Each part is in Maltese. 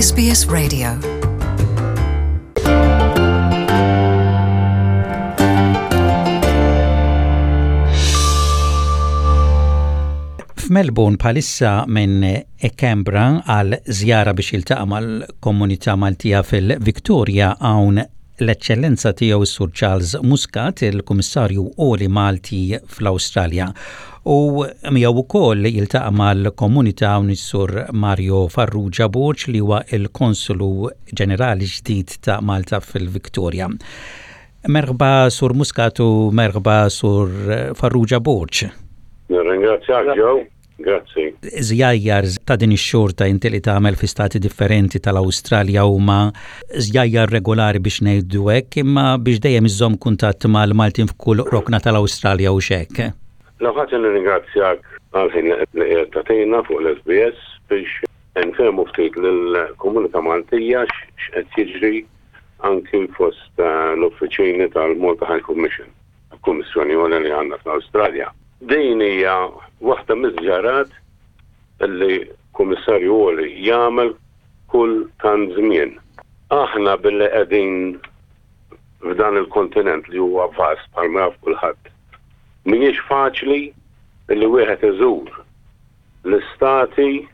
SBS Radio. F'Melbourne bħalissa minn Canberra għal żjara biex jiltaqa' mal-komunità Maltija fil-Victoria hawn l-Eċċellenza Tiegħu s-Sur Charles Muscat, il-Kummissarju Għoli Malti fl-Awstralja. U miegħu wkoll jiltaqa' mal-komunità hawn is-Sur Mario Farrugia Borg li huwa l-Konsulu Ġenerali ġdid ta' Malta fil-Victoria. Merħba Sur Muscat u merħba Sur Farrugia Borg. Nirringrazzjak Joe. Grazzi. Żjajjar ta' din ix-xorta inti li tagħmel fi stati differenti tal-Awstralja huma żjajjar regolari biex ngħidu hekk, imma biex dejjem iżżomm kuntatt mal-Maltin f'kull rokna tal-Awstralja hux hekk? L-ewwel ħaġa nirringrazzjak għall-ħin li qiegħed tagħtina fuq l-SBS biex nfehmu ftit lill-komunità Maltija x'qed jiġri anki fost l-uffiċini tal-Malta High Commission. Kummissjoni Għolja li għandna fl-Awstralja. Din hija waħda miż-żjarat li Kummissarju Għoli jagħmel kull tant żmien. Aħna billi qegħdin f'dan il-kontinent li huwa vast bħalma jaf kulħadd, mhijiex faċli li wieħed iżur l-istati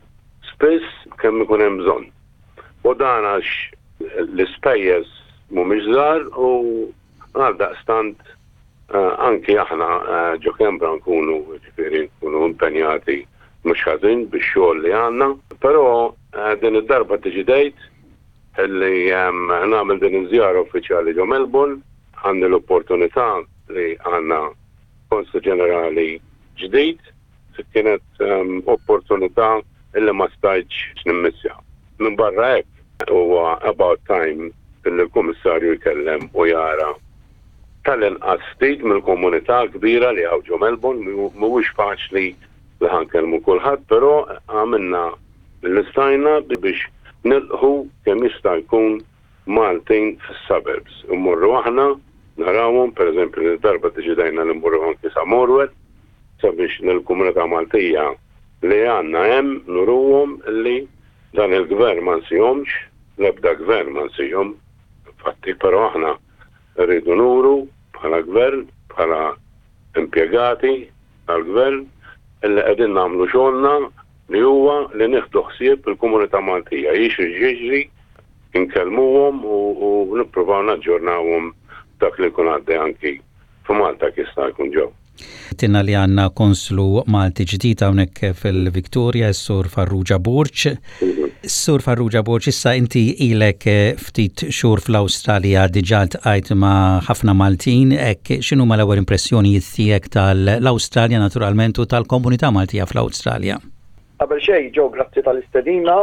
spiss kemm ikun hemm bżonn. U dan għax l-ispejjeż mhumiex żgħar u Għaldaqstant anki aħna ġo Canberra nkunu jiġifieri nkunu impenjati mhux ħażin bix-xogħol li għandna. Però din id-darba ddeċidejt li nagħmel din iż-żjara uffiċjali ġo Melbourne. Għandi l-opportunità li għandna Konsul Ġenerali ġdid. Kienet opportunità li ma stajtx nimmissja. Minbarra hekk, Huwa about time li l-Kummissarju jkellem u jara tal-inqas ftit mill-komunità kbira li hawn ġo Melbourne. Mhuwiex faċli li ħa nkellmu kulħadd, però għamilna li stajna biex nilqħu kemm jista' jkun Maltin fis-suburbs. Immorru aħna narawhom, pereżempju din id-darba ddeċidejna li mmorru anki sa Morwell sabiex lill-komunità Maltija li għandna hemm nuruhom li Dan il-gvern ma nsihomx, l-ebda gvern ma nsihom, infatti, però aħna rridu nuru bħala gvern, bħala impjegati tal-gvern, illi qegħdin nagħmlu xogħolna li huwa li nieħdu ħsieb il-komunità Maltija, jiġri x'jiġri, inkellmuhom u nippruvaw naġġornawhom dak li jkun għaddej anki f'Malta kif jista' jkun ġew. Tinna li għandna konslu Malti ġdid hawnhekk fil-Victoria, s-Sur Farrugia Borg. Sur Farrugia Borg, issa inti ilek ftit xhur fl-Awstralja diġà ltqajt ma' ħafna Maltin, hekk x'inhuma l-ewwel impressjonijiet tiegħek tal-Awstralja naturalment u tal-komunità Maltija fl-Awstralja? Qabel xejn, Joe, grazzi tal-istedina.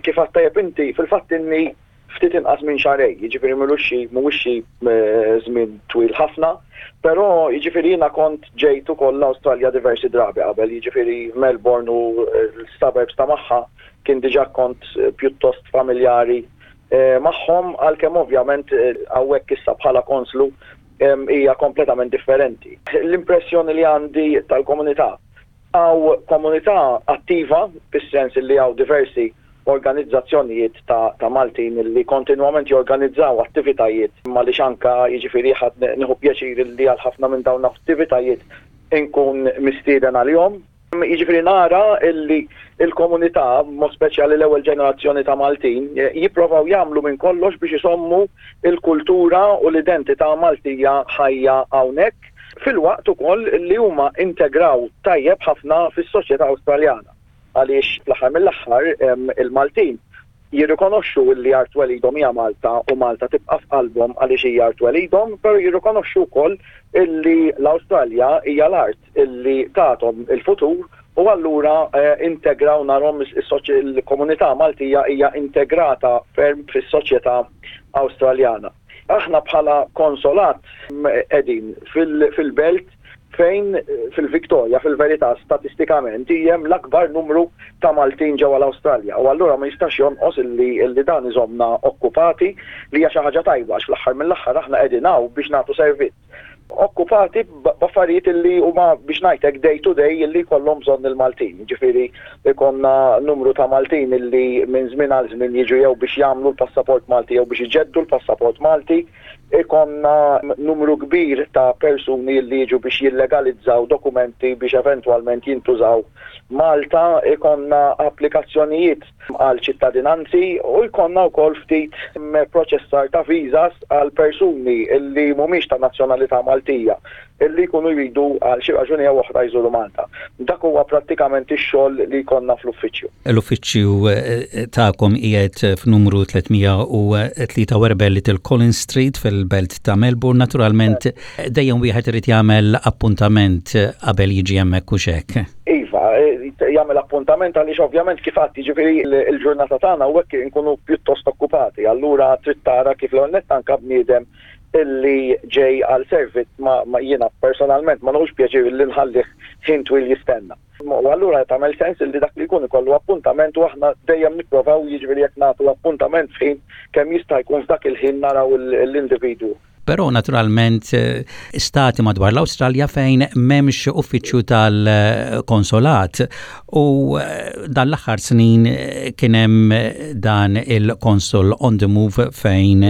Kif għedt tajjeb inti, fil-fatt inni ftit inqas minn xahrejn, jiġifieri m'ilux xi mhuwiex xi żmien twil ħafna, però jiġifieri jiena kont ġejt ukoll l-Awstralja diversi drabi qabel, jiġifieri Melbourne u l-suburbs ta' magħha kien diġà kont pjuttost familjari magħhom għalkemm ovvjament hawnhekk issa bħala konslu hija kompletament differenti. L-impressjoni li għandi tal-komunità Hawn komunità attiva, fis-sens li hawn diversi organizzazzjonijiet ta' ta' Maltin li kontinwament jorganizzaw attivitajiet għaliex anke jiġifieri ħadd nieħu pjaċir li għal ħafna minn dawn l-attivitajiet inkun mistieden għalihom. Jiġifieri nara li l-komunità, b'mod speċjali l-ewwel ġenerazzjoni ta' Maltin, jipprovaw jagħmlu minn kollox biex isommu l-kultura u l-identità Maltija ħajja hawnhekk. filwaqt ukoll li huma integraw tajjeb ħafna fis-soċjetà Awstraljana għaliex fl-aħħar mill-aħħar il-Maltin jirrikonoxxu li art twelidhom hija Malta u Malta tibqa' f'qalbhom għaliex hija art twelidhom, però jirrikonoxxu wkoll li l-Awstralja hija l-art li tathom il-futur u allura integraw narhom il-komunità Maltija hija integrata ferm fis-soċjetà Awstraljana. Aħna bħala konsolat qegħdin fil-belt fejn fil-Victoria fil-verità statistikament hemm l-akbar numru ta' Maltin ġewwa l-Awstralja u allura ma jistax jonqos illi dan iżommna okkupati li hija xi ħaġa tajba għax fl-aħħar mill-aħħar aħna qegħdin hawn biex nagħtu servizz. okkupati b'affarijiet illi huma biex ngħid hekk day to day illi jkollhom bżonn il-Maltin. Jiġifieri jkollna numru ta' Maltin illi minn żmien għal żmien jiġu jew biex jagħmlu l-passaport Malti jew biex iġeddu l-passaport Malti. Ikollna numru kbir ta' persuni li jiġu biex jillegalizzaw dokumenti biex eventwalment jintużaw Malta, ikollna applikazzjonijiet għal ċittadinanzi u jkollna wkoll ftit proċessar ta' visas għal persuni li mhumiex ta' nazzjonalità Maltija li jkunu jridu għal xi raġuni jew oħra jżuru Malta. Dak huwa prattikament ix-xogħol li jkollna fl-uffiċċju. L-uffiċċju tagħkom qiegħed f'numru 343 Little Collins Street fil-belt ta' Melbourne. Naturalment dejjem wieħed irid jagħmel appuntament qabel jiġi hemmhekk u x'hekk. Iva, jagħmel appuntament għaliex ovvjament kif għedt jiġifieri l-ġurnata tagħna u hekk inkunu pjuttost okkupati, allura trid tara kif l-ewwel nett anke bniedem illi ġej għal servizz ma, ma jiena personalment ma nieħux pjaċir illi nħallih ħin twil jistenna. U allura tagħmel sens illi dak li jkun ikollu appuntament u aħna dejjem nipprovaw jiġifieri jekk nagħtu appuntament f'ħin kemm jista' jkun f'dak il-ħin naraw l-individwu. Però naturalment stati madwar l-Awstralja fejn m'hemmx uffiċċju tal-konsolat u dan l-aħħar snin kien hemm dan il-Consul on the Move fejn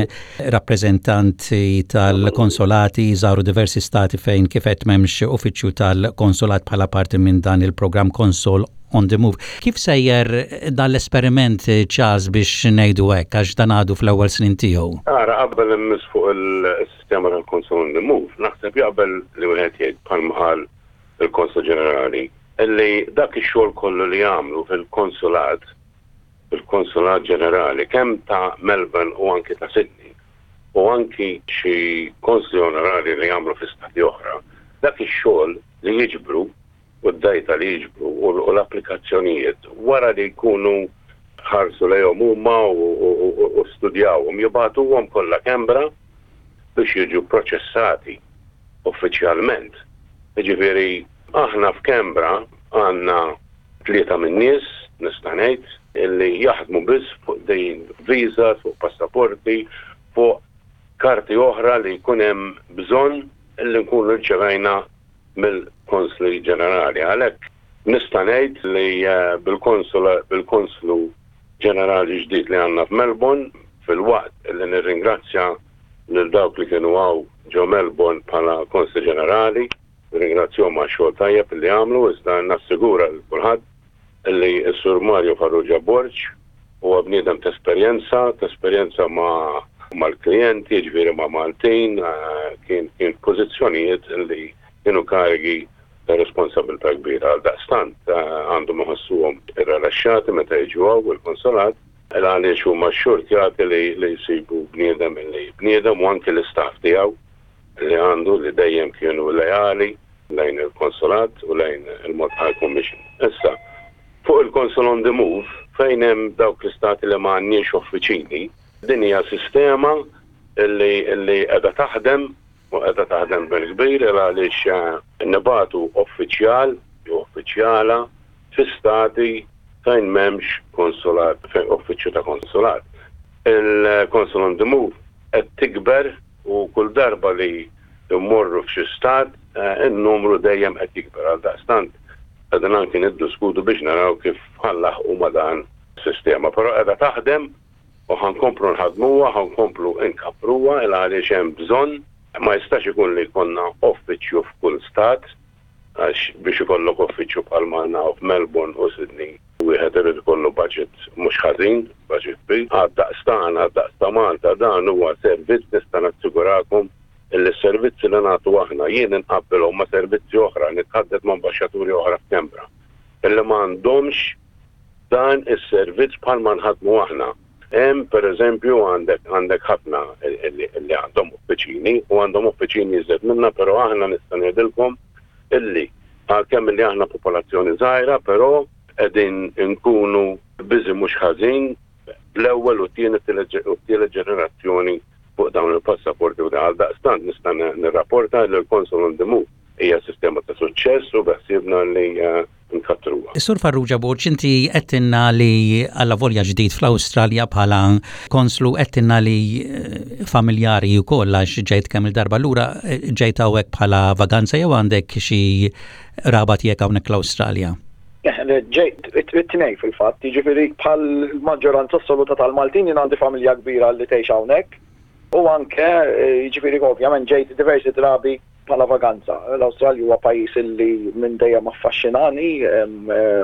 Rappreżentanti tal-konsolati żaru diversi stati fejn kif għedt m'hemmx uffiċċju tal-konsolat bħala parti minn dan il-programm Consol on the Move. Kif sejjer dan l-esperiment Charles biex ngħidu hekk għax dan għadu fl-ewwel snin tiegħu? Ara, qabel immiss fuq il-sistema tal-Consol on the Move, naħseb jaqbel li wieħed jgħid bħalma qal il-Konsol Ġenerali illi dak ix-xogħol kollu li jagħmlu fil-konsulat fil-Konsulat Ġenerali kemm ta' Melbourne u anki ta' Sydney u anki xi konsli onorarji li jagħmlu fi stati oħra, dak ix-xogħol li jiġbru u d-data li jiġbru u l-applikazzjonijiet wara li jkunu ħarsu lejhom huma u studjawhom jibagħtuhom kollha Canberra biex jiġu pproċessati uffiċjalment. Jiġifieri aħna f'Canberra għandna 3 min-nies, nista' ngħid, illi jaħdmu biss fuq din visas, fuq passaporti, fuq karti oħra li jkun hemm bżonn illi nkunu rċevejna mill-Konsli Ġenerali. Għalhekk nista' ngħid li bil-Konslu Ġenerali ġdid li għandna f'Melbourne, filwaqt li nirringrazzja lil dawk li kienu hawn ġo Melbourne bħala Konsli Ġenerali, Nirringrazzjahom għax-xogħol tajjeb li għamlu iżda nassigura lil kulħadd li s-Sur Mario Farrugia Borg huwa bniedem t'esperjenza, t'esperjenza ma' mal-klijenti, jiġifieri ma' Maltin, kien kien f'pożizzjonijiet li kienu karigi ta' responsabilità kbira. Għaldaqstant għandhom iħossuhom irrelaxxati meta jiġu hawn il-Konsolat għaliex huma xxurtjati li jsibu bniedem li bniedem u anki l-istaff tiegħu li għandu li dejjem kienu leali lejn il-Konsolat u lejn il-Malta High Commission. Issa, fuq il-Consul on the Move, fejn hemm dawk l-istati li ma għandniex uffiċini, din hija sistema li li qiegħda taħdem u qiegħda taħdem bil-kbir il għaliex nibagħtu uffiċjal jew uffiċjala fi stati fejn m'hemmx konsulat, fejn uffiċċju ta' konsulat. Il-Consul on the Move qed tikber u kull darba li mmorru f'xi stat, in-numru dejjem qed jikber. Għaldaqstant qegħdin anki niddiskutu biex naraw kif ħa nlaħħqu ma' dan is-sistema. Però qiegħda taħdem u ħa nkomplu nħaddmuha, ħa nkomplu nkabbruha il għaliex hemm bżonn. Ma jistax ikun li jkollna uffiċċju f'kull stat għax biex ikollok uffiċċju bħalma għandna hawn f'Melbourne u Sydney Wieħed irid ikollu budget mhux ħażin, budget kbir. Għad-daqs tagħna, għad-daqs ta' Malta, dan huwa servizz nista' nassigurakom illi s-servizzi li nagħtu aħna, jien inqabbilhom ma' servizzi oħra, nitħaddet ma' ambaxxaturi oħra f'Canberra, illi ma għandhomx dan is-servizz bħalma nħaddmu aħna. Hemm pereżempju għandek għandek ħafna illi għandhom uffiċini u għandhom uffiċini iżjed minna, però aħna nista' ngħidilkom illi għalkemm illi aħna popolazzjoni żgħira però qegħdin inkunu busy mhux ħażin bl-ewwel u t-tieni u t-tielet ġenerazzjoni fuq dawn il-passaporti u għaldaqstant nista' nirrapporta li l-Consul on the Move hija sistema ta' suċċess u beħsiebna li eh, nkattruha. Sur Farrugia Borg, inti għedtilna li allavolja ġdid fl-Awstralja bħala konslu għedtilna li eh, familjari wkoll għax ġejt kemm il-darba lura eh, ġejt hawnhekk bħala vaganza jew għandek xi raba tiegħek hawnhekk l-Awstralja? Eh, ġejt it-tnej fil-fatt, jiġifieri bħal maġġoranza assoluta tal-Maltin jien għandi familja kbira li tgħix hawnhekk u anke jiġifieri ovvjament ġejt diversi drabi bħala vaganza. L-Awstralja huwa pajjiż li minn dejjem affaxxinani,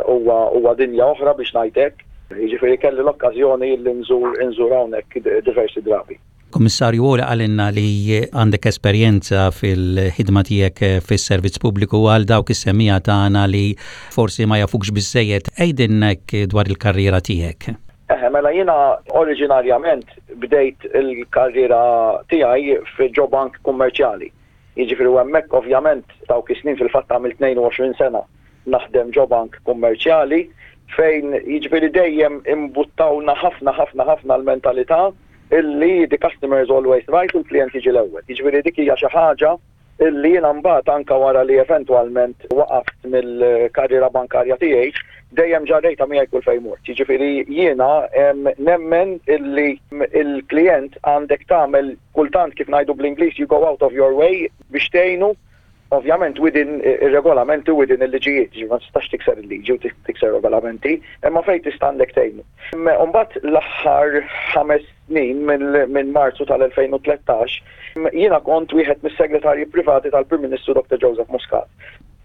huwa huwa dinja oħra biex ngħid hekk. Jiġifieri kelli l-okkażjoni li nżur inżur hawnhekk diversi drabi. Kummissarju Għoli qalilna li għandek esperjenza fil-ħidma tiegħek fis-servizz pubbliku għal dawk is-semmiegħa tagħna li forsi ma jafukx biżżejjed, għidilna hekk dwar il-karriera tiegħek. Eħe, mela jiena oriġinarjament bdejt il-karriera tiegħi f'ġo bank kummerċjali. Jiġifieri u hemmhekk ovvjament dawk is-snin fil-fatt għamilt 22 sena naħdem ġo bank kummerċjali fejn jiġifieri dejjem imbuttawna ħafna ħafna ħafna l-mentalità illi the customer is always right u l-klijent jiġi l-ewwel. Jiġifieri dik hija xi ħaġa Illi jiena mbagħad anke wara li eventwalment waqaft mill-karriera bankarja tiegħi, dejjem ġarrejtha miegħi kull fejn mort. Jiġifieri jiena nemmen illi l-klijent għandek tagħmel kultant kif ngħidu bl-Ingliż you go out of your way biex tgħinu, ovvjament within ir-regolamenti u within il-liġijiet, jiġifieri ma tistax tikser il-liġi u tikser regolamenti, imma fejn tista' għandek tgħinu. Imbagħad l-aħħar ħames snin minn Marzu tal-2013, jiena kont wieħed mis-segretarji privati tal-Prim Ministru Dr. Joseph Muscat.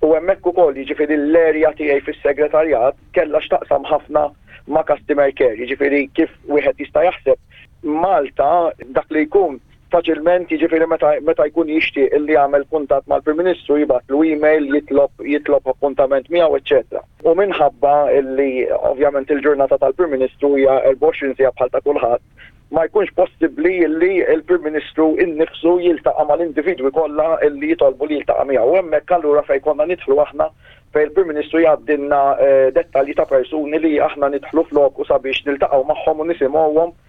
U hemmhekk ukoll jiġifieri l-area tiegħi fis-segretarjat kellha x'taqsam ħafna ma' customer care, jiġifieri kif wieħed jista' jaħseb Malta dak li jkun faċilment jiġifieri meta meta jkun jixtieq illi jagħmel kuntatt mal-Prim Ministru jibgħatlu email jitlob jitlob appuntament miegħu eċċetera. U minħabba illi ovvjament il-ġurnata tal-Prim Ministru hija 24 siegħa bħal ta' kulħadd, ma jkunx possibbli illi l-Prim Ministru innifsu jiltaqa' mal-individwi kollha illi jitolbu li jiltaqa' miegħu. U hemmhekk allura fejn konna nidħlu aħna fejn il-Prim Ministru jgħaddilna dettalji ta' persuni li aħna nidħlu floku sabiex niltaqgħu magħhom u nisimgħuhom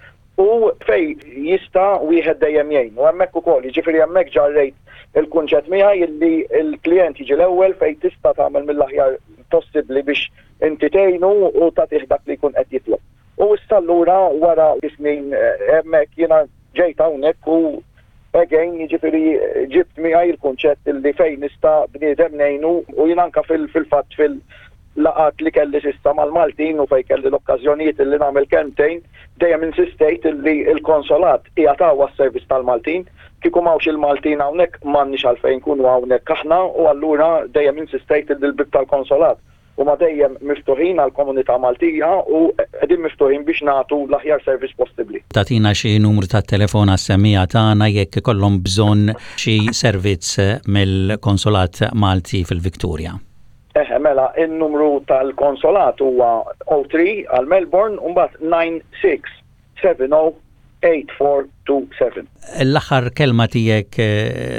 u fejn jista' wieħed dejjem jgħin. U hemmhekk ukoll, jiġifieri hemmhekk ġarrejt il-kunċett miegħi illi l-klijent jiġi l-ewwel fejn tista' tagħmel mill-aħjar possibbli biex inti tgħinu u tagħtih dak li jkun qed jitlob. U issa allura wara snin hemmhekk jiena ġejt hawnhekk u again jiġifieri ġibt miegħi l-kunċett illi fejn nista' bniedem ngħinu u jien anke fil-fatt fil laqgħat li kelli s'issa mal-Maltin u fejn kelli l-okkażjonijiet illi nagħmel kelmtejn, dejjem insistejt illi l-Konsolat qiegħed hawn għas-servizz tal-Maltin. Kieku m'hawnx il-Maltin hawnhekk m'għandniex għalfejn nkunu hawnhekk aħna u allura dejjem insistejt illi l-bieb tal-Konsolat huma dejjem miftuħin għall-komunità Maltija u qegħdin miftuħin biex nagħtu l-aħjar servizz possibbli. Tagħtina xi numru tat-telefon għas-semmiegħa tagħna jekk ikollhom bżonn xi servizz mill-Konsolat Malti fil-Victoria. Eħe, mela, in-numru tal-konsolat huwa 03 għal Melbourne u mbagħad 96708427. L-aħħar kelma tiegħek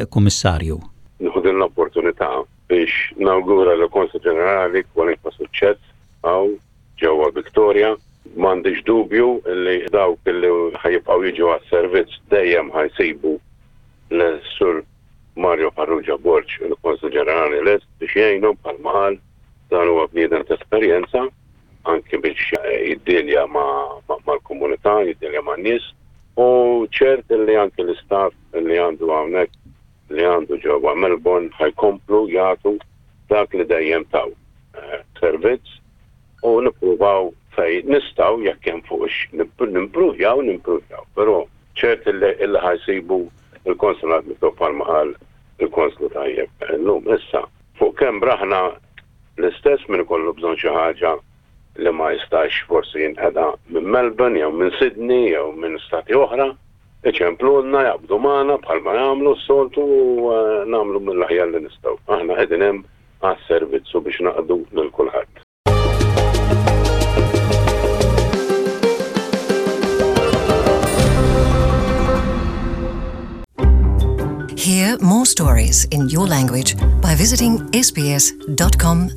Kummissarju. Nieħu din l-opportunità biex nawgura lill-Konsul Ġenerali kwalinkwa suċċess hawn ġewwa Victoria. M'għandix dubju li dawk li ħa jibqgħu jiġu għas-servizz dejjem ħa jsibu lis-Sur Mario Farrugia Borg, il-Konsul Ġenerali lest biex jgħinhom bħalma qal, dan huwa bniedem ta' esperjenza anki biex jiddilja mal-komunità, jiddilja man-nies u ċert li anki l-istaff li għandu hawnhekk li għandu ġewwa Melbourne ħa jkomplu jagħtu dak li dejjem taw eh, servizz u nippruvaw fejn nistgħu jekk hemm fuq nimpruvjaw, nimpruvjaw, però ċert illi ħa jsibu l-konsulat miftuħ bħalma qal il-konslu tajjeb illum. Issa, fuq Canberra aħna l-istess min ikollu bżonn xi ħaġa li ma jistax forsi jinqeda minn Melbourne jew minn Sydney jew minn stati oħra, iċemplulna, jaqbdu magħna bħalma jagħmlu s-soltu u eh, nagħmlu mill-aħjar li nistgħu. Aħna qegħdin hemm għas-servizzu biex naqdu lil kulħadd. Hear more stories in your language by visiting sbs.com.au.